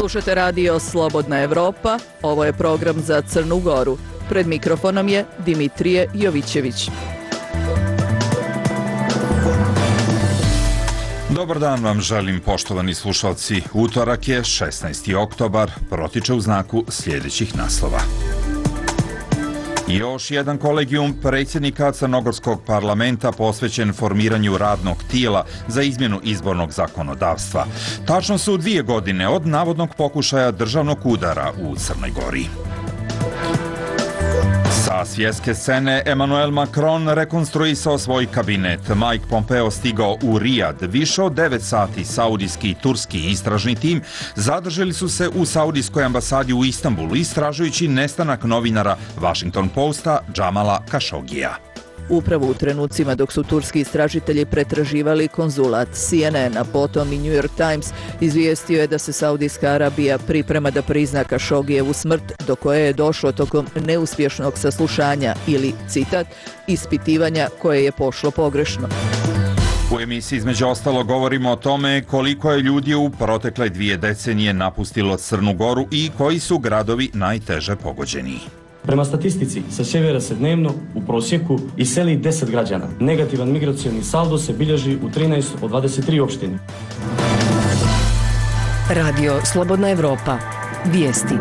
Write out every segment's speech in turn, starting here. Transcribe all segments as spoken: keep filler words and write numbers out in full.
Slušate radio Slobodna Evropa, ovo je program za Crnu Goru. Pred mikrofonom je Dimitrije Jovićević. Dobar dan vam želim, poštovani slušalci. Utorak je šesnaesti oktobar, protiče u znaku sljedećih naslova. Još jedan kolegijum predsjednika Crnogorskog parlamenta posvećen formiranju radnog tijela za izmjenu izbornog zakonodavstva. Tačno su dvije godine od navodnog pokušaja državnog udara u Crnoj Gori. Sa svjetske scene Emmanuel Macron rekonstruisao svoj kabinet. Mike Pompeo stigao u Rijad. Više od devet sati saudijski i turski istražni tim zadržali su se u saudijskoj ambasadi u Istanbulu istražujući nestanak novinara Washington Posta Jamala Khashogija. Upravo u trenucima dok su turski istražitelji pretraživali konzulat, C N N, a potom i New York Times izvijestio je da se Saudijska Arabija priprema da prizna Khashogijevu smrt, do koje je došlo tokom neuspješnog saslušanja ili, citat, ispitivanja koje je pošlo pogrešno. U emisiji između ostalo govorimo o tome koliko je ljudi u protekle dvije decenije napustilo Crnu Goru i koji su gradovi najteže pogođeni. Prema statistici, sa sjevera se dnevno u prosjeku iseli deset građana. Negativan migracioni saldo se bilježi u trinaest od dvadeset tri opštine. Radio Slobodna Evropa. Vijesti.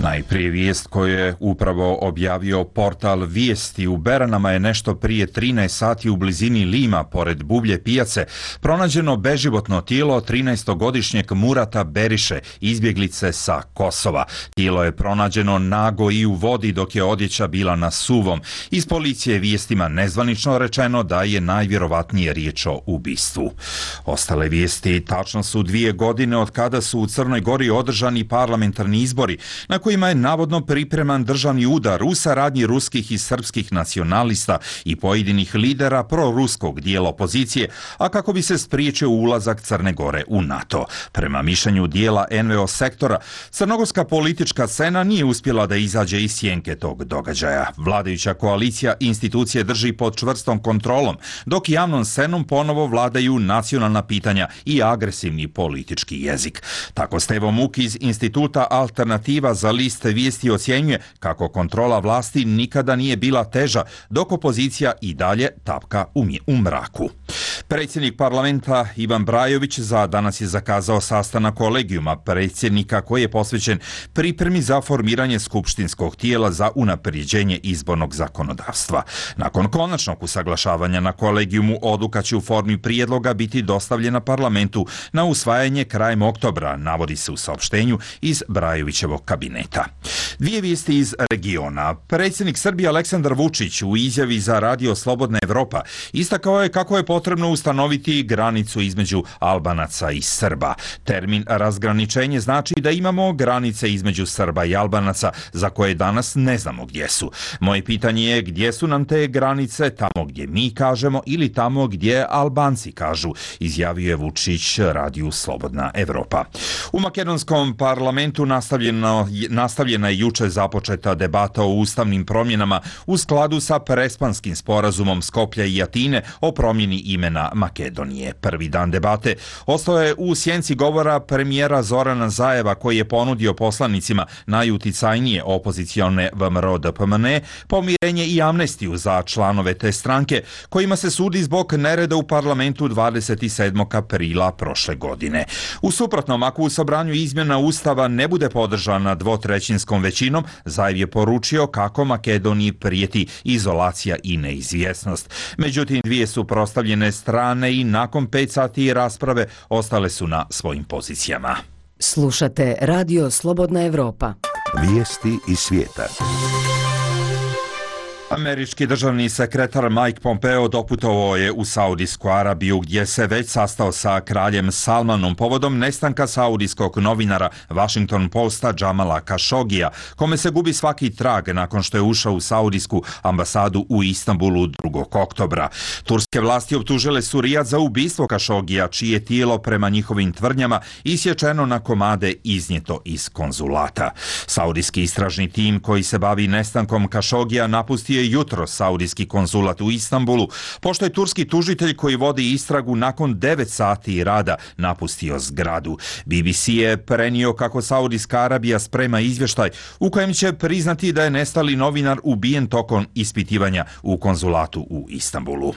Najprije vijest koju je upravo objavio portal Vijesti. U Beranama je nešto prije trinaest sati u blizini Lima, pored Bublje pijace, pronađeno beživotno tijelo trinaestogodišnjeg Murata Beriše, izbjeglice sa Kosova. Tijelo je pronađeno nago i u vodi dok je odjeća bila na suvom. Iz policije vijestima nezvanično rečeno da je najvjerovatnije riječ o ubistvu. Ostale vijesti: tačno su dvije godine od kada su u Crnoj Gori održani parlamentarni izbori, na kojima je navodno pripreman državni udar u saradnji ruskih i srpskih nacionalista i pojedinih lidera proruskog dijela opozicije, a kako bi se spriječio ulazak Crne Gore u NATO. Prema mišljenju dijela N V O sektora, crnogorska politička scena nije uspjela da izađe iz sjenke tog događaja. Vladajuća koalicija institucije drži pod čvrstom kontrolom, dok javnom scenom ponovo vladaju nacionalna pitanja i agresivni politički jezik. Tako Stevo Muk iz instituta Alternativa za liste vijesti ocjenjuje kako kontrola vlasti nikada nije bila teža, dok opozicija i dalje tapka u mraku. Predsjednik parlamenta Ivan Brajović za danas je zakazao sastanak kolegijuma predsjednika koji je posvećen pripremi za formiranje skupštinskog tijela za unapređenje izbornog zakonodavstva. Nakon konačnog usaglašavanja na kolegijumu, odluka će u formi prijedloga biti dostavljena parlamentu na usvajanje krajem oktobra, navodi se u saopštenju iz Brajovićevog kabineta. Dvije vijesti iz regiona. Predsjednik Srbije Aleksandar Vučić u izjavi za radio Slobodna Evropa istakao je kako je potrebno ustanoviti granicu između Albanaca i Srba. Termin razgraničenje znači da imamo granice između Srba i Albanaca za koje danas ne znamo gdje su. Moje pitanje je gdje su nam te granice, tamo gdje mi kažemo ili tamo gdje Albanci kažu, izjavio je Vučić radiju Slobodna Evropa. U makedonskom parlamentu nastavljeno, nastavljena je juče započeta debata o ustavnim promjenama u skladu sa Prespanskim sporazumom Skoplja i Atine o promjeni imena Makedonije. Prvi dan debate ostao je u sjenci govora premijera Zorana Zajeva koji je ponudio poslanicima najuticajnije opozicione V M R O D P M N E pomirenje i amnestiju za članove te stranke kojima se sudi zbog nereda u parlamentu dvadeset sedmog aprila prošle godine. U suprotnom, ako u sobranju izmjena Ustava ne bude podržana dvotrećinskom većinom, Zajev je poručio kako Makedoniji prijeti izolacija i neizvjesnost. Međutim, dvije su prostavljene strane i nakon pet sati rasprave ostale su na svojim pozicijama. Slušate radio Slobodna Evropa. Vijesti iz svijeta. Američki državni sekretar Mike Pompeo doputovao je u Saudijsku Arabiju gdje se već sastao sa kraljem Salmanom povodom nestanka saudijskog novinara Washington Posta Jamala Khashogija, kome se gubi svaki trag nakon što je ušao u saudijsku ambasadu u Istanbulu drugog oktobra. Turske vlasti optužile su Rijad za ubistvo Khashogija, čije tijelo prema njihovim tvrdnjama isječeno na komade iznijeto iz konzulata. Saudijski istražni tim koji se bavi nestankom Khashogija napustio je jutro saudijski konzulat u Istanbulu, pošto je turski tužitelj koji vodi istragu nakon devet sati rada napustio zgradu. B B C je prenio kako Saudijska Arabija sprema izvještaj u kojem će priznati da je nestali novinar ubijen tokom ispitivanja u konzulatu u Istanbulu.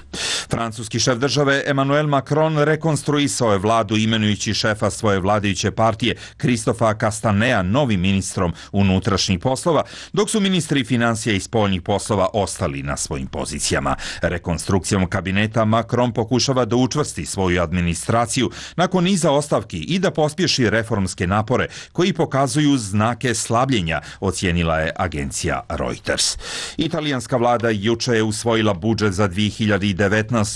Francuski šef države Emmanuel Macron rekonstruisao je vladu imenujući šefa svoje vladajuće partije Christopha Castanea novim ministrom unutrašnjih poslova, dok su ministri financija i spoljnih poslova ostali na svojim pozicijama. Rekonstrukcijom kabineta Macron pokušava da učvrsti svoju administraciju nakon niza ostavki i da pospješi reformske napore koji pokazuju znake slabljenja, ocijenila je agencija Reuters. Italijanska vlada juče je usvojila budžet za dvije hiljade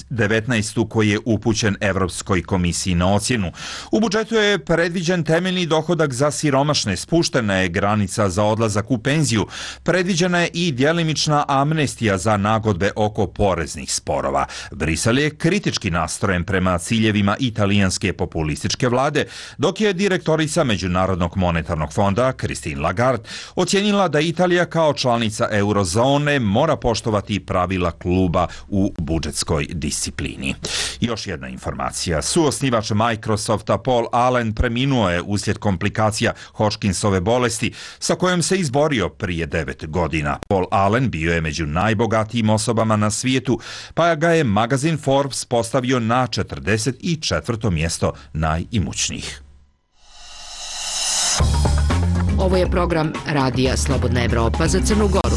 devetnaestu koji je upućen Evropskoj komisiji na ocjenu. U budžetu je predviđen temeljni dohodak za siromašne, spuštena je granica za odlazak u penziju, predviđena je i djelimična amnestija za nagodbe oko poreznih sporova. Brisel je kritički nastrojen prema ciljevima italijanske populističke vlade, dok je direktorica Međunarodnog monetarnog fonda Christine Lagarde ocijenila da Italija kao članica eurozone mora poštovati pravila kluba u budžetskoj disciplini. Još jedna informacija. Suosnivač Microsofta Paul Allen preminuo je uslijed komplikacija Hodgkinsove bolesti sa kojom se izborio prije devet godina. Paul Allen bio je među najbogatijim osobama na svijetu, pa ga je magazin Forbes postavio na četrdeset četvrto mjesto najimućnijih. Ovo je program Radija Slobodna Evropa za Crnu Goru.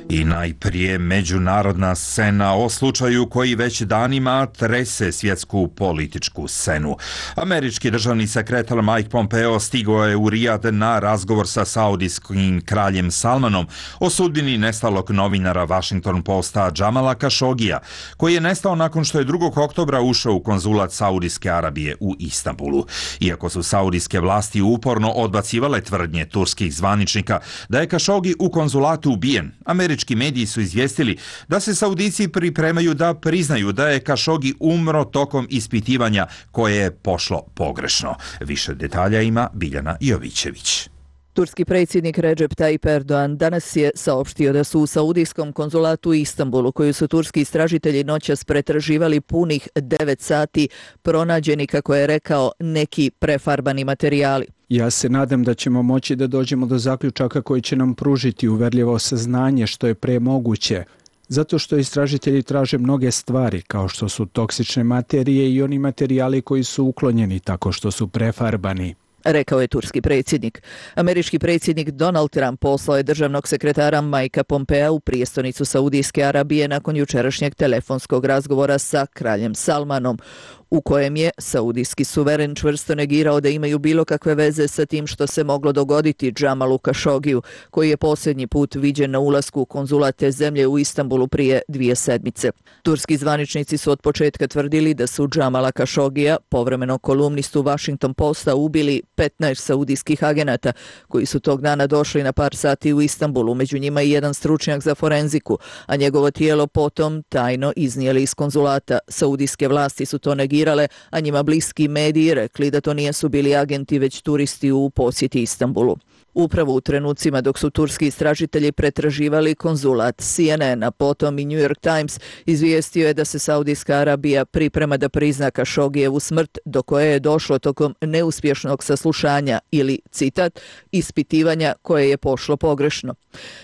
I najprije međunarodna scena o slučaju koji već danima trese svjetsku političku scenu. Američki državni sekretar Mike Pompeo stigao je u Rijad na razgovor sa saudijskim kraljem Salmanom o sudbini nestalog novinara Washington Posta Jamala Khashogija, koji je nestao nakon što je drugog oktobra ušao u konzulat Saudijske Arabije u Istanbulu. Iako su saudijske vlasti uporno odbacivale tvrdnje turskih zvaničnika da je Khashoggi u konzulatu ubijen, američki Američki mediji su izvijestili da se Saudici pripremaju da priznaju da je Khashoggi umro tokom ispitivanja koje je pošlo pogrešno. Više detalja ima Biljana Jovićević. Turski predsjednik Recep Tayyip Erdogan danas je saopštio da su u saudijskom konzulatu u Istanbulu, koju su turski istražitelji noćas pretraživali punih devet sati, pronađeni, kako je rekao, neki prefarbani materijali. Ja se nadam da ćemo moći da dođemo do zaključaka koji će nam pružiti uverljivo saznanje što je pre moguće, zato što istražitelji traže mnoge stvari, kao što su toksične materije i oni materijali koji su uklonjeni tako što su prefarbani, rekao je turski predsjednik. Američki predsjednik Donald Trump poslao je državnog sekretara Mikea Pompea u prijestolnicu Saudijske Arabije nakon jučerašnjeg telefonskog razgovora sa kraljem Salmanom, u kojem je saudijski suveren čvrsto negirao da imaju bilo kakve veze sa tim što se moglo dogoditi Jamalu Khashoggiju, koji je posljednji put viđen na ulasku u konzulat te zemlje u Istanbulu prije dvije sedmice. Turski zvaničnici su od početka tvrdili da su Jamala Khashoggija, povremeno kolumnistu Washington Posta, ubili petnaest saudijskih agenata koji su tog dana došli na par sati u Istanbulu, među njima i jedan stručnjak za forenziku, a njegovo tijelo potom tajno iznijeli iz konzulata. Saudijske vlasti su to negirale, a njima bliski mediji rekli da to nisu bili agenti već turisti u posjeti Istanbulu. Upravo u trenucima dok su turski istražitelji pretraživali konzulat, C N N, a potom i New York Times izvijestio je da se Saudijska Arabija priprema da prizna Khashoggijevu smrt, do koje je došlo tokom neuspješnog saslušanja ili, citat, ispitivanja koje je pošlo pogrešno.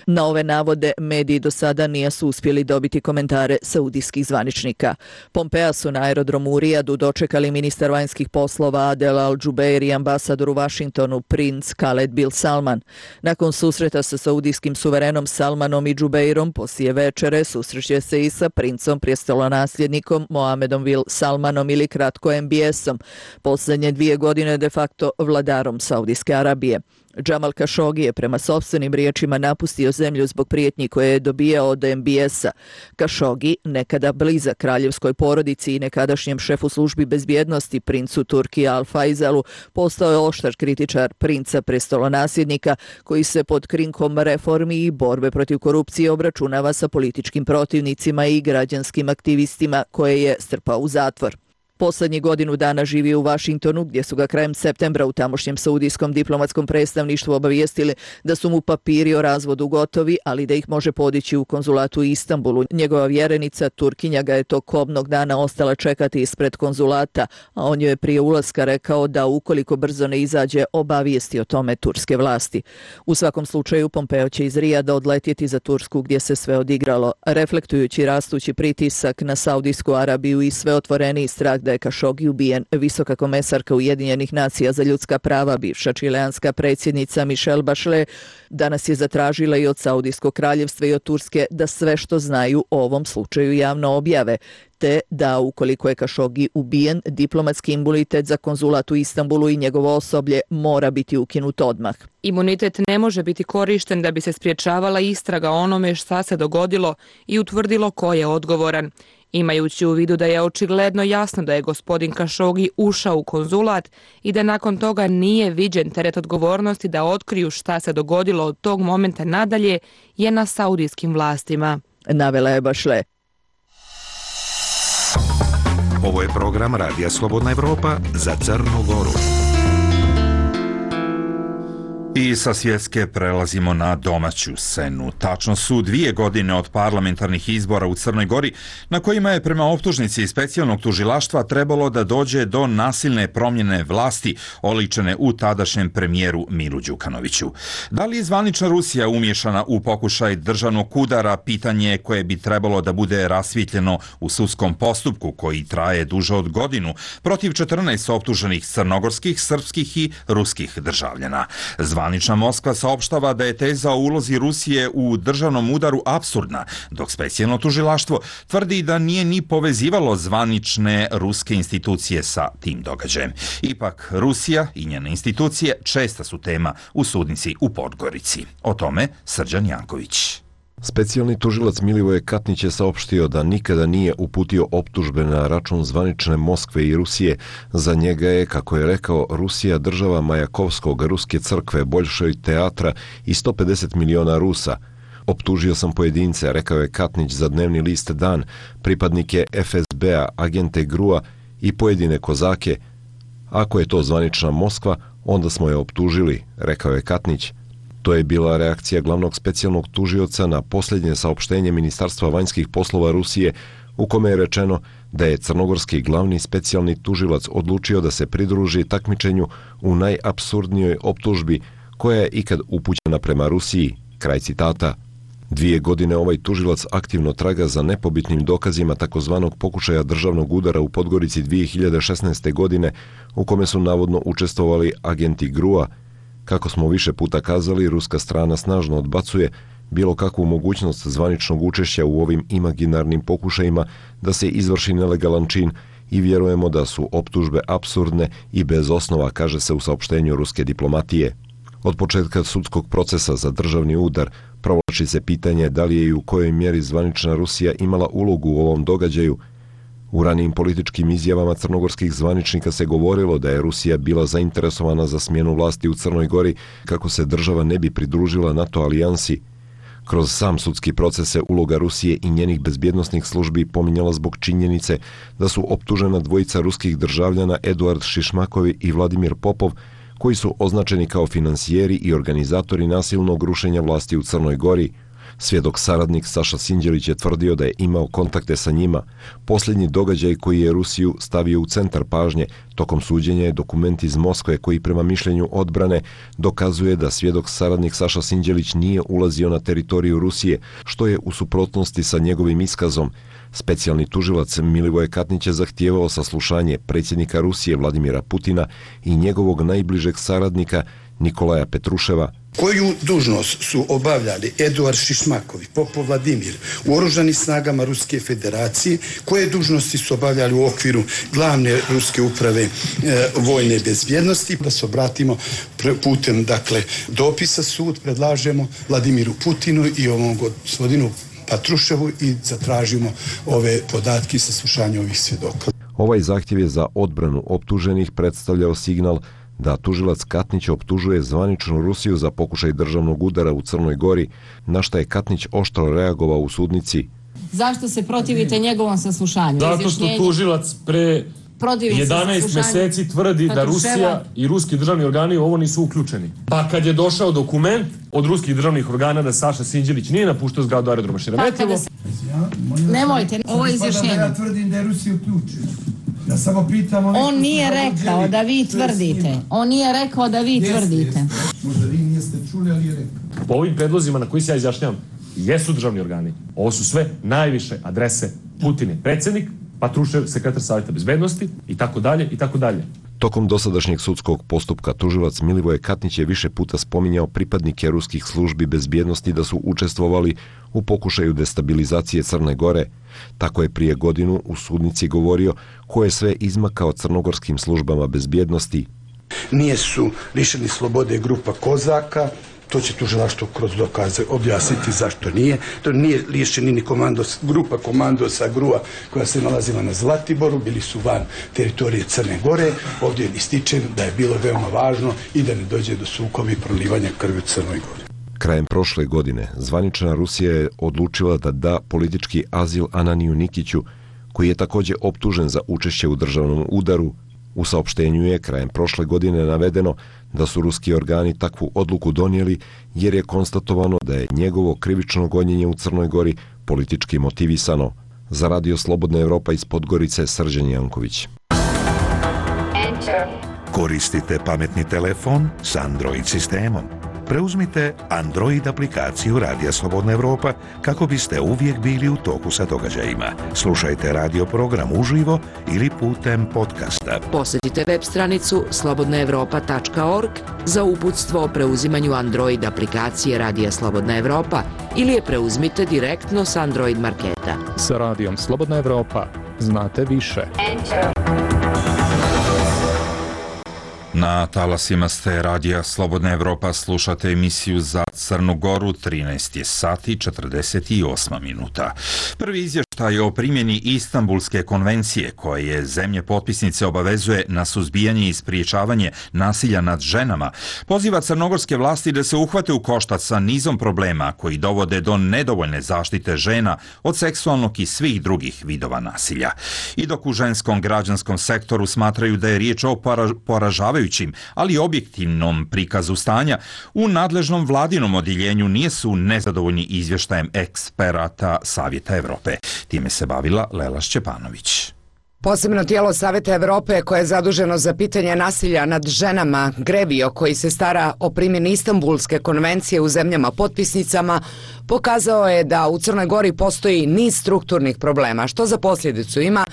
Na ove navode mediji do sada nisu uspjeli dobiti komentare saudijskih zvaničnika. Pompea su na aerodromu u Rijadu dočekali ministar vanjskih poslova Adel Al-Jubeir i ambasador u Washingtonu princ Khaled bin Salman. Nakon susreta sa saudijskim suverenom Salmanom i Jubeirom poslije večere susreće se i sa princom prijestolonasljednikom Mohamedom bin Salmanom ili kratko M B S-om, posljednje dvije godine de facto vladarom Saudijske Arabije. Jamal Khashoggi je prema sopstvenim riječima napustio zemlju zbog prijetnji koje je dobijao od M B S-a. Khashoggi, nekada blizak kraljevskoj porodici i nekadašnjem šefu službi bezbjednosti princu Turki Al Faisalu, postao je oštar kritičar princa prestolonasljednika koji se pod krinkom reformi i borbe protiv korupcije obračunava sa političkim protivnicima i građanskim aktivistima koje je strpao u zatvor. Poslednjih godinu dana živi u Vašingtonu, gdje su ga krajem septembra u tamošnjem saudijskom diplomatskom predstavništvu obavijestili da su mu papiri o razvodu gotovi, ali da ih može podići u konzulatu u Istanbulu. Njegova vjerenica, Turkinja, ga je tog kobnog dana ostala čekati ispred konzulata, a on joj je prije ulaska rekao da ukoliko brzo ne izađe, obavijesti o tome turske vlasti. U svakom slučaju, Pompeo će iz Rijada odletjeti za Tursku, gdje se sve odigralo, reflektujući rastući pritisak na Saudijsku Arabiju i sve otvoreniji strah da je Kašogi ubijen. Visoka komesarka Ujedinjenih nacija za ljudska prava, bivša čileanska predsjednica Michelle Bachelet, danas je zatražila i od Saudijskog kraljevstva i od Turske da sve što znaju o ovom slučaju javno objave, te da ukoliko je Kašogi ubijen, diplomatski imunitet za konzulat u Istanbulu i njegovo osoblje mora biti ukinut odmah. Imunitet ne može biti korišten da bi se spriječavala istraga onome šta se dogodilo i utvrdilo ko je odgovoran. Imajući u vidu da je očigledno jasno da je gospodin Kašogi ušao u konzulat i da nakon toga nije viđen, teret odgovornosti da otkriju šta se dogodilo od tog momenta nadalje je na saudijskim vlastima, navela je Bachelet. Ovo je program Radija Slobodna Evropa za Crnu Goru. I sa svjetske prelazimo na domaću scenu. Tačno su dvije godine od parlamentarnih izbora u Crnoj Gori, na kojima je prema optužnici specijalnog tužilaštva trebalo da dođe do nasilne promjene vlasti oličene u tadašnjem premijeru Milu Đukanoviću. Da li je zvanična Rusija umješana u pokušaj državnog udara, pitanje koje bi trebalo da bude rasvjetljeno u sudskom postupku koji traje duže od godinu protiv četrnaest optuženih crnogorskih, srpskih i ruskih državljana. Zvanična Moskva saopštava da je teza o ulozi Rusije u državnom udaru apsurdna, dok specijalno tužilaštvo tvrdi da nije ni povezivalo zvanične ruske institucije sa tim događajem. Ipak, Rusija i njene institucije česta su tema u sudnici u Podgorici. O tome Srđan Janković. Specijalni tužilac Milivoje Katnić je saopštio da nikada nije uputio optužbe na račun zvanične Moskve i Rusije. Za njega je, kako je rekao, Rusija država Majakovskog, ruske crkve, Boljšoj teatra i sto pedeset miliona Rusa. Optužio sam pojedince, rekao je Katnić za dnevni list Dan, pripadnike F S B-a, agente G R U-a i pojedine kozake. Ako je to zvanična Moskva, onda smo je optužili, rekao je Katnić. To je bila reakcija glavnog specijalnog tužioca na posljednje saopštenje Ministarstva vanjskih poslova Rusije, u kome je rečeno da je crnogorski glavni specijalni tužilac odlučio da se pridruži takmičenju u najapsurdnijoj optužbi koja je ikad upućena prema Rusiji. Kraj citata. Dvije godine ovaj tužilac aktivno traga za nepobitnim dokazima takozvanog pokušaja državnog udara u Podgorici dvije hiljade šesnaeste. godine, u kome su navodno učestvovali agenti G R U-a. Kako smo više puta kazali, ruska strana snažno odbacuje bilo kakvu mogućnost zvaničnog učešća u ovim imaginarnim pokušajima da se izvrši nelegalan čin i vjerujemo da su optužbe apsurdne i bez osnova, kaže se u saopštenju ruske diplomatije. Od početka sudskog procesa za državni udar provlači se pitanje da li je i u kojoj mjeri zvanična Rusija imala ulogu u ovom događaju. U ranijim političkim izjavama crnogorskih zvaničnika se govorilo da je Rusija bila zainteresovana za smjenu vlasti u Crnoj Gori kako se država ne bi pridružila NATO alijansi. Kroz sam sudski proces se uloga Rusije i njenih bezbjednosnih službi pominjala zbog činjenice da su optužena dvojica ruskih državljana Eduard Šišmakovi i Vladimir Popov, koji su označeni kao finansijeri i organizatori nasilnog rušenja vlasti u Crnoj Gori. Svjedok saradnik Saša Sinđelić je tvrdio da je imao kontakte sa njima. Posljednji događaj koji je Rusiju stavio u centar pažnje tokom suđenja je dokument iz Moskve koji prema mišljenju odbrane dokazuje da svjedok saradnik Saša Sinđelić nije ulazio na teritoriju Rusije, što je u suprotnosti sa njegovim iskazom. Specijalni tužilac Milivoje Katnić je zahtijevao saslušanje predsjednika Rusije Vladimira Putina i njegovog najbližeg saradnika Nikolaja Petruševa. Koju dužnost su obavljali Eduard Šišmakovi, Popov Vladimir u oružanim snagama Ruske federacije, koje dužnosti su obavljali u okviru glavne ruske uprave e, vojne bezbjednosti. Da se obratimo putem dakle, dopisa sud, predlažemo Vladimiru Putinu i ovom gospodinu Petruševu i zatražimo ove podatke i saslušanje ovih svjedoka. Ovaj zahtjev je za odbranu optuženih predstavljao signal da tužilac Katnić optužuje zvaničnu Rusiju za pokušaj državnog udara u Crnoj Gori, na šta je Katnić oštro reagovao u sudnici. Zašto se protivite njegovom saslušanju? Zato što tužilac pre jedanaest meseci tvrdi da Rusija i ruski državni organi u ovo nisu uključeni. Pa kad je došao dokument od ruskih državnih organa da Saša Sinđelić nije napuštao zgradu aerodroma Šeremetevo. Nemojte, ovo je izjašnjenje. Ja tvrdim da je Rusija uključena. Ja samo pitam... On nije rekao da vi tvrdite. On nije rekao da vi tvrdite. Možda vi niste čuli, ali je rekao. Po ovim predlozima na koji se ja izjašnjavam, jesu državni organi. Ovo su sve najviše adrese Putin, predsjednik, Patrušev, sekretar Savjeta bezbednosti i tako dalje i tako dalje. Tokom dosadašnjeg sudskog postupka tužilac Milivoje Katnić je više puta spominjao pripadnike ruskih službi bezbjednosti da su učestvovali u pokušaju destabilizacije Crne Gore. Tako je prije godinu u sudnici govorio ko je sve izmakao crnogorskim službama bezbjednosti. Nije su lišeni slobode grupa Kozaka, to će tužilaštvo kroz dokaze objasniti zašto nije. To nije lišeni ni komandos, grupa komandosa Grua koja se nalazila na Zlatiboru, bili su van teritorije Crne Gore. Ovdje je ističen da je bilo veoma važno i da ne dođe do sukoba i prolivanja krvi u Crnoj Gori. Krajem prošle godine zvanična Rusija je odlučila da da politički azil Ananiju Nikiću, koji je također optužen za učešće u državnom udaru. U saopštenju je krajem prošle godine navedeno da su ruski organi takvu odluku donijeli jer je konstatovano da je njegovo krivično gonjenje u Crnoj Gori politički motivisano. Za Radio Slobodna Evropa iz Podgorice, Srđan Janković. Koristite pametni telefon s Android sistemom. Preuzmite Android aplikaciju Radija Slobodna Evropa kako biste uvijek bili u toku sa događajima. Slušajte radio program uživo ili putem podcasta. Posjetite web stranicu slobodna evropa tačka org za uputstvo o preuzimanju Android aplikacije Radija Slobodna Evropa ili je preuzmite direktno s Android marketa. Sa Radijom Slobodna Evropa znate više. Na talasima ste Radija Slobodna Evropa, slušate emisiju za Crnu Goru, trinaest je sati četrdeset osam minuta. Prvi izvještaj o primjeni Istanbulske konvencije koje je zemlje potpisnice obavezuje na suzbijanje i spriječavanje nasilja nad ženama, poziva crnogorske vlasti da se uhvate u koštac sa nizom problema koji dovode do nedovoljne zaštite žena od seksualnog i svih drugih vidova nasilja. I dok u ženskom građanskom sektoru smatraju da je riječ o poražavajućim ali objektivnom prikazu stanja, u nadležnom vladinom odjeljenju nisu nezadovoljni izvještajem eksperata Savjeta Evrope. Time se bavila Lela Šćepanović. Posebno tijelo Savjeta Evrope koje je zaduženo za pitanje nasilja nad ženama, GREVIO, koji se stara o primjeni Istanbulske konvencije u zemljama potpisnicama, pokazao je da u Crnoj Gori postoji niz strukturnih problema, što za posljedicu ima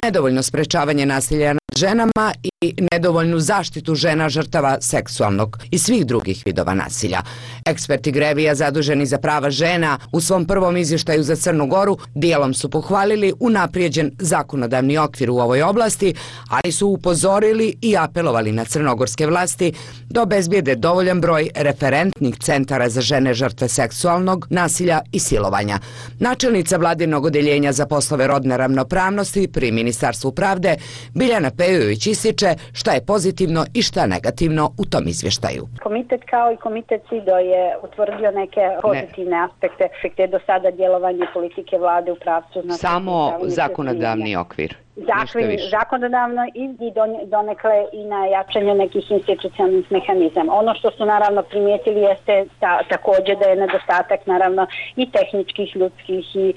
nedovoljno sprečavanje nasilja nad ženama i nedovoljnu zaštitu žena žrtava seksualnog i svih drugih vidova nasilja. Eksperti GREVIO zaduženi za prava žena u svom prvom izvještaju za Crnu Goru dijelom su pohvalili unaprijeđen zakonodavni okvir u ovoj oblasti, ali su upozorili i apelovali na crnogorske vlasti da obezbijede dovoljan broj referentnih centara za žene žrtve seksualnog nasilja i silovanja. Načelnica vladinog odjeljenja za poslove rodne ravnopravnosti pri Ministarstvu pravde Biljana Pejović ističe šta je pozitivno i šta negativno u tom izvještaju. Komitet kao i komitet SIDO je utvrdio neke pozitivne ne. aspekte, aspekte do sada djelovanje politike vlade u pravcu. Samo zakonodavni okvir. Zakon, zakonodavno i, i donekle i na jačanje nekih institucionalnih mehanizama. Ono što su naravno primijetili jeste ta, također da je nedostatak naravno i tehničkih, ljudskih i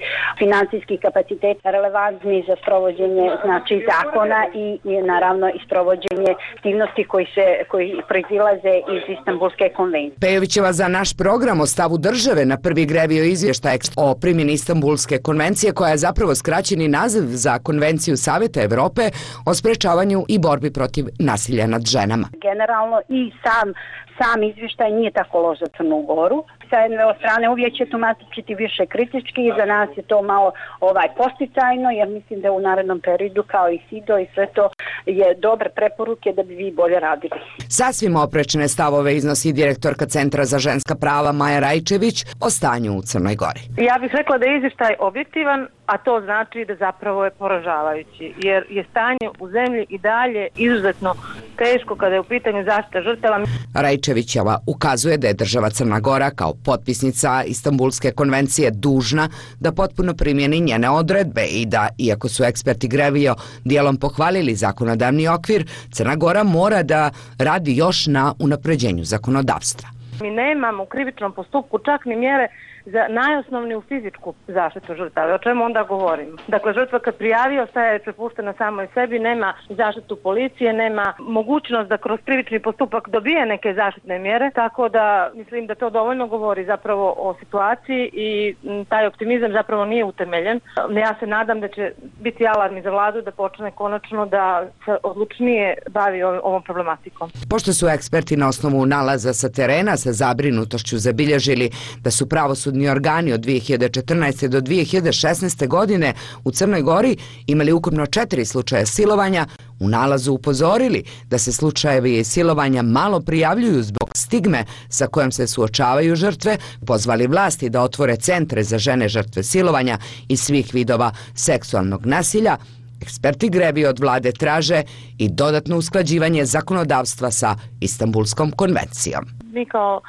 financijskih kapaciteta relevantni za sprovođenje znači zakona i, i naravno i sprovođenje aktivnosti koji se koji proizilaze iz Istanbulske konvencije. Pejovićeva za naš program o stavu države na prvi GREVIO izvještaj o primjeni Istanbulske konvencije, koja je zapravo skraćeni naziv za konvenciju Savjeta Evrope o sprečavanju i borbi protiv nasilja nad ženama. Generalno i sam sam izvještaj nije tako loš za Crnu Goru. Sa jedne strane uvijek će tumačiti više kritički i za nas je to malo ovaj posticajno, jer mislim da u narednom periodu kao i SIDO i sve to je dobre preporuke da bi vi bolje radili. Sasvim oprečne stavove iznosi direktorka Centra za ženska prava Maja Rajčević o stanju u Crnoj Gori. Ja bih rekla da je izvještaj objektivan, a to znači da zapravo je poražavajući, jer je stanje u zemlji i dalje izuzetno teško kada je u pitanju zaštita žrtava. Rajčevićeva ukazuje da je država Crna Gora kao potpisnica Istanbulske konvencije dužna da potpuno primjeni njene odredbe i da, iako su eksperti Grevio dijelom pohvalili zakonodavni okvir, Crna Gora mora da radi još na unapređenju zakonodavstva. Mi nemamo u krivičnom postupku čak ni mjere za najosnovniju fizičku zaštitu žrtave. O čemu onda govorimo? Dakle, žrtva kad prijavi ostaje prepuštena samoj sebi, nema zaštitu policije, nema mogućnost da kroz krivični postupak dobije neke zaštitne mjere, tako da mislim da to dovoljno govori zapravo o situaciji i taj optimizam zapravo nije utemeljen. Ja se nadam da će biti alarm za vladu da počne konačno da se odlučnije bavi ovom problematikom. Pošto su eksperti na osnovu nalaza sa terena sa zabrinutošću zabilježili da su pravosudni organi od dvije hiljade četrnaeste. do dvije hiljade šesnaeste. godine u Crnoj Gori imali ukupno četiri slučaja silovanja, u nalazu upozorili da se slučajevi silovanja malo prijavljuju zbog stigme sa kojom se suočavaju žrtve, pozvali vlasti da otvore centre za žene žrtve silovanja i svih vidova seksualnog nasilja. Eksperti Grevio od vlade traže i dodatno usklađivanje zakonodavstva sa Istanbulskom konvencijom. Mi kao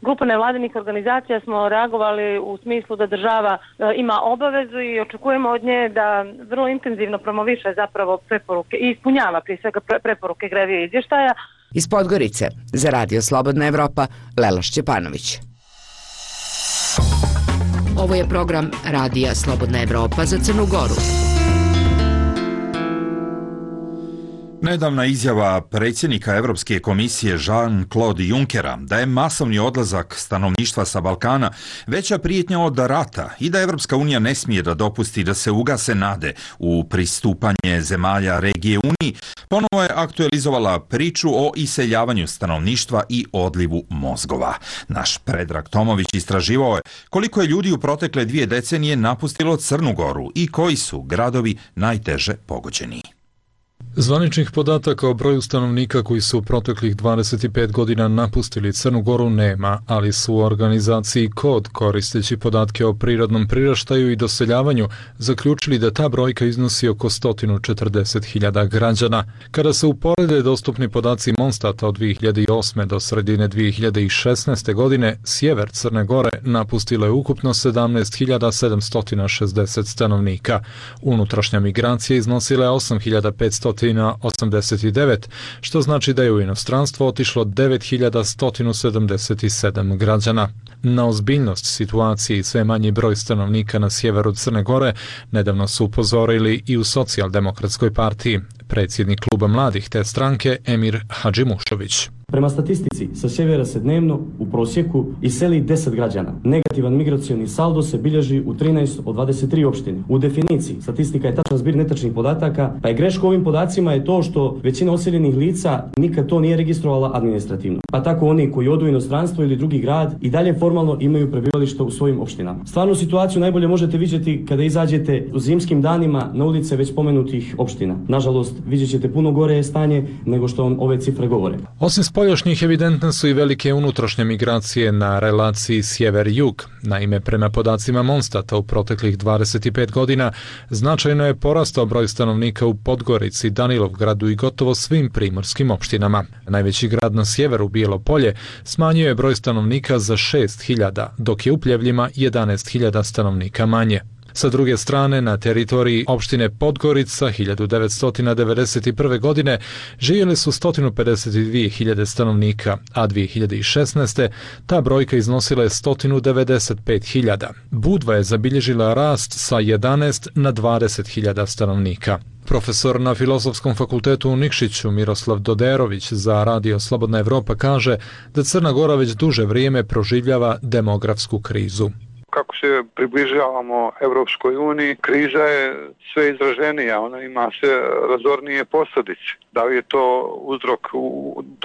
grupa nevladinih organizacija smo reagovali u smislu da država ima obavezu i očekujemo od nje da vrlo intenzivno promoviše zapravo preporuke i ispunjava prije svega preporuke Grevio izvještaja. Iz Podgorice za Radio Slobodna Evropa, Lela Šćepanović. Ovo je program Radija Slobodna Evropa za Crnu Goru. Nedavna izjava predsjednika Europske komisije Jean-Claude Junckera da je masovni odlazak stanovništva sa Balkana veća prijetnja od rata i da Europska unija ne smije da dopusti da se ugase nade u pristupanje zemalja regije Uniji, ponovo je aktualizovala priču o iseljavanju stanovništva i odlivu mozgova. Naš Predrag Tomović istraživao je koliko je ljudi u protekle dvije decenije napustilo Crnu Goru i koji su gradovi najteže pogođeni. Zvaničnih podataka o broju stanovnika koji su u proteklih dvadeset pet godina napustili Crnu Goru nema, ali su u organizaciji Kod, koristeći podatke o prirodnom priraštaju i doseljavanju, zaključili da ta brojka iznosi oko sto četrdeset hiljada građana. Kada se uporede dostupni podaci Monstata od dvije hiljade osme. do sredine dvije hiljade šesnaeste. godine, sjever Crne Gore napustilo je ukupno sedamnaest hiljada sedamsto šezdeset stanovnika. Unutrašnja migracija iznosila je osam hiljada petsto osamdeset devet, što znači da je u inostranstvo otišlo devet hiljada sto sedamdeset sedam građana. Na ozbiljnost situacije i sve manji broj stanovnika na sjeveru Crne Gore nedavno su upozorili i u Socijaldemokratskoj partiji. Predsjednik kluba mladih te stranke Emir Hadžimušović. Prema statistici, sa sjevera se dnevno u prosjeku iseli deset građana. Negativan migracioni saldo se bilježi u trinaest od dvadeset tri opštine. U definiciji, statistika je tačan zbir netačnih podataka, pa je greška ovim podacima je to što većina oseljenih lica nikad to nije registrovala administrativno. Pa tako oni koji odu u inostranstvo ili drugi grad i dalje formalno imaju prebivalište u svojim opštinama. Stvarnu situaciju najbolje možete vidjeti kada izađete u zimskim danima na ulice već spomenutih opština. Nažalost, vidjet ćete puno gore stanje nego što vam ove cifre govore. Osim spoljašnjih evidentne su i velike unutrašnje migracije na relaciji sjever-jug. Naime, prema podacima Monstata u proteklih dvadeset pet godina značajno je porastao broj stanovnika u Podgorici, Danilovgradu i gotovo svim primorskim opštinama. Najveći grad na sjeveru, Bijelo Polje, smanjio je broj stanovnika za šest hiljada, dok je u Pljevljima jedanaest hiljada stanovnika manje. Sa druge strane, na teritoriji opštine Podgorica hiljadu devetsto devedeset prve. godine živjeli su sto pedeset dvije hiljade stanovnika, a dvije hiljade šesnaeste. ta brojka iznosila je sto devedeset pet hiljada. Budva je zabilježila rast sa jedanaest na dvadeset hiljada stanovnika. Profesor na Filozofskom fakultetu u Nikšiću Miroslav Doderović za Radio Slobodna Evropa kaže da Crna Gora već duže vrijeme proživljava demografsku krizu. Kako se približavamo Europskoj uniji, kriza je sve izraženija, ona ima sve razornije posljedice. Da li je to uzrok u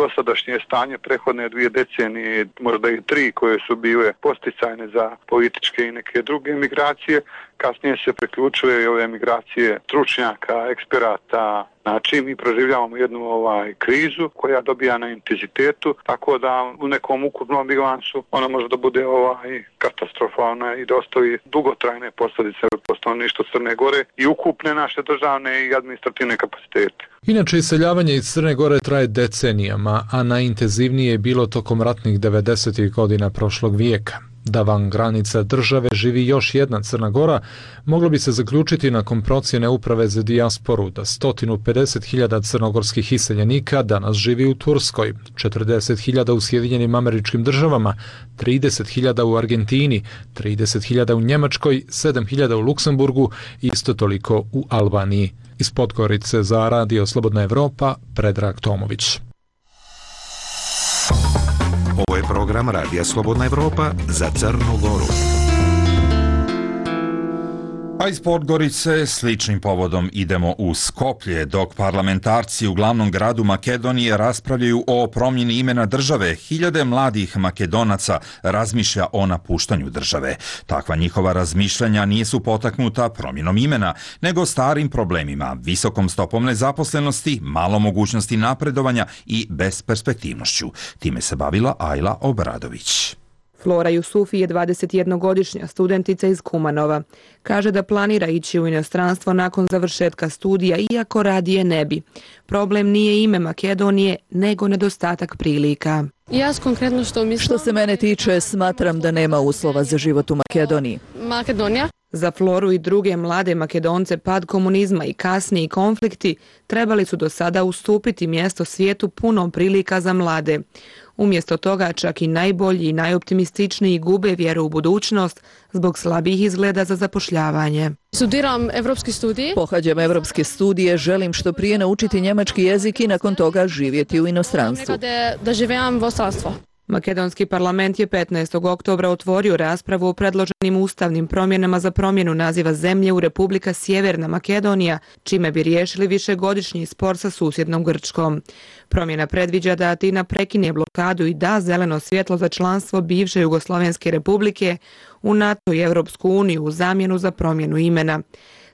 dosadašnje stanje prethodne dvije decenije, možda i tri koje su bile posticajne za političke i neke druge migracije, kasnije se priključuje i ove migracije stručnjaka, eksperata, Znači mi proživljavamo jednu ovaj krizu koja dobija na intenzitetu, tako da u nekom ukupnom bilansu ona može da bude ovaj katastrofalna i da ostavi dugotrajne posljedice po stanovništvu Crne Gore i ukupne naše državne i administrativne kapacitete. Inače, iseljavanje iz Crne Gore traje decenijama, a najintenzivnije je bilo tokom ratnih devedesetih godina prošlog vijeka. Da van granica države živi još jedna Crna Gora, moglo bi se zaključiti nakon procjene Uprave za dijasporu da sto pedeset hiljada crnogorskih iseljenika danas živi u Turskoj, četrdeset hiljada u Sjedinjenim Američkim Državama, trideset hiljada u Argentini, trideset hiljada u Njemačkoj, sedam hiljada u Luksemburgu i isto toliko u Albaniji. Iz Podgorice za Radio Slobodna Evropa, Predrag Tomović. Ovo je program Radija Slobodna Evropa za Crnu Goru. A iz Podgorice sličnim povodom idemo u Skoplje, dok parlamentarci u glavnom gradu Makedonije raspravljaju o promjeni imena države. Hiljade mladih Makedonaca razmišlja o napuštanju države. Takva njihova razmišljanja nisu potaknuta promjenom imena, nego starim problemima, visokom stopom nezaposlenosti, malo mogućnosti napredovanja i besperspektivnošću. Time se bavila Ajla Obradović. Flora Jusufi je dvadesetjednogodišnja studentica iz Kumanova. Kaže da planira ići u inostranstvo nakon završetka studija, iako radije ne bi. Problem nije ime Makedonije, nego nedostatak prilika. Ja konkretno što mislim... Što se mene tiče, smatram da nema uslova za život u Makedoniji. Makedonija? Za Floru i druge mlade Makedonce pad komunizma i kasniji konflikti trebali su do sada ustupiti mjesto svijetu puno prilika za mlade. Umjesto toga čak i najbolji i najoptimističniji gube vjeru u budućnost zbog slabih izgleda za zapošljavanje. Studiram evropski studij. Pohađam evropske studije, želim što prije naučiti njemački jezik i nakon toga živjeti u inostranstvu. Da, da živim u inostranstvu. Makedonski parlament je petnaestog oktobra otvorio raspravu o predloženim ustavnim promjenama za promjenu naziva zemlje u Republika Sjeverna Makedonija, čime bi riješili višegodišnji spor sa susjednom Grčkom. Promjena predviđa da Atina prekine blokadu i da zeleno svjetlo za članstvo bivše Jugoslovenske republike u NATO i Europsku uniju u zamjenu za promjenu imena.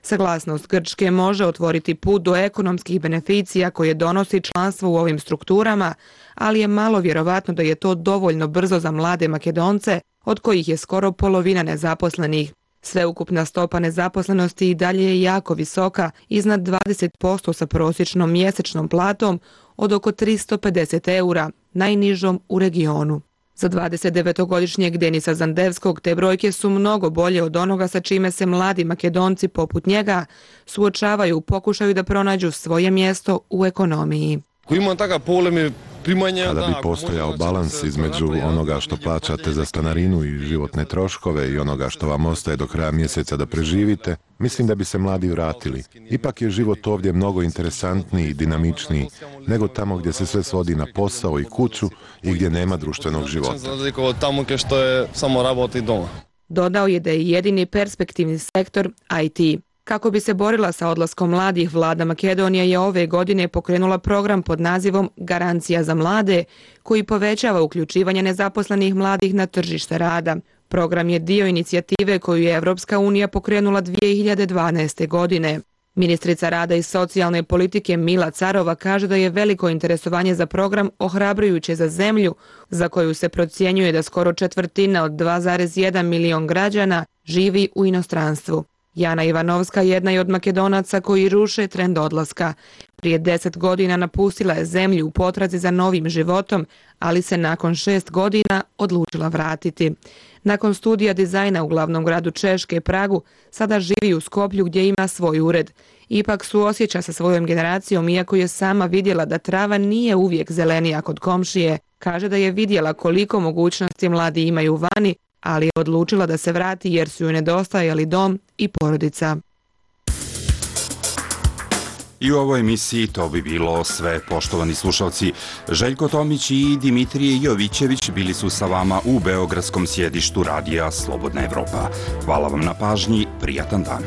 Saglasnost Grčke može otvoriti put do ekonomskih beneficija koje donosi članstvo u ovim strukturama, ali je malo vjerovatno da je to dovoljno brzo za mlade Makedonce, od kojih je skoro polovina nezaposlenih. Sveukupna stopa nezaposlenosti i dalje je jako visoka, iznad dvadeset posto sa prosječnom mjesečnom platom od oko tristo pedeset eura, najnižom u regionu. Za dvadesetdevetogodišnjeg Denisa Zandevskog te brojke su mnogo bolje od onoga sa čime se mladi Makedonci poput njega suočavaju u pokušaju da pronađu svoje mjesto u ekonomiji. Kada bi postojao balans između onoga što plaćate za stanarinu i životne troškove i onoga što vam ostaje do kraja mjeseca da preživite, mislim da bi se mladi vratili. Ipak je život ovdje mnogo interesantniji i dinamičniji nego tamo gdje se sve svodi na posao i kuću i gdje nema društvenog života. Dodao je da je jedini perspektivni sektor I T. Kako bi se borila sa odlaskom mladih, vlada Makedonije je ove godine pokrenula program pod nazivom Garancija za mlade, koji povećava uključivanje nezaposlenih mladih na tržište rada. Program je dio inicijative koju je Evropska unija pokrenula dvije hiljade dvanaeste. godine. Ministrica rada i socijalne politike Mila Carova kaže da je veliko interesovanje za program ohrabrujuće za zemlju, za koju se procjenjuje da skoro četvrtina od dva zarez jedan milion građana živi u inostranstvu. Jana Ivanovska jedna je od Makedonaca koji ruše trend odlaska. Prije deset godina napustila je zemlju u potrazi za novim životom, ali se nakon šest godina odlučila vratiti. Nakon studija dizajna u glavnom gradu Češke, Pragu, sada živi u Skoplju gdje ima svoj ured. Ipak suosjeća sa svojom generacijom, iako je sama vidjela da trava nije uvijek zelenija kod komšije. Kaže da je vidjela koliko mogućnosti mladi imaju vani, ali je odlučila da se vrati jer su joj nedostajali dom i porodica. I u ovoj emisiji to bi bilo sve, poštovani slušalci. Željko Tomić i Dimitrije Jovićević bili su sa vama u beogradskom sjedištu Radija Slobodna Evropa. Hvala vam na pažnji, prijatan dan.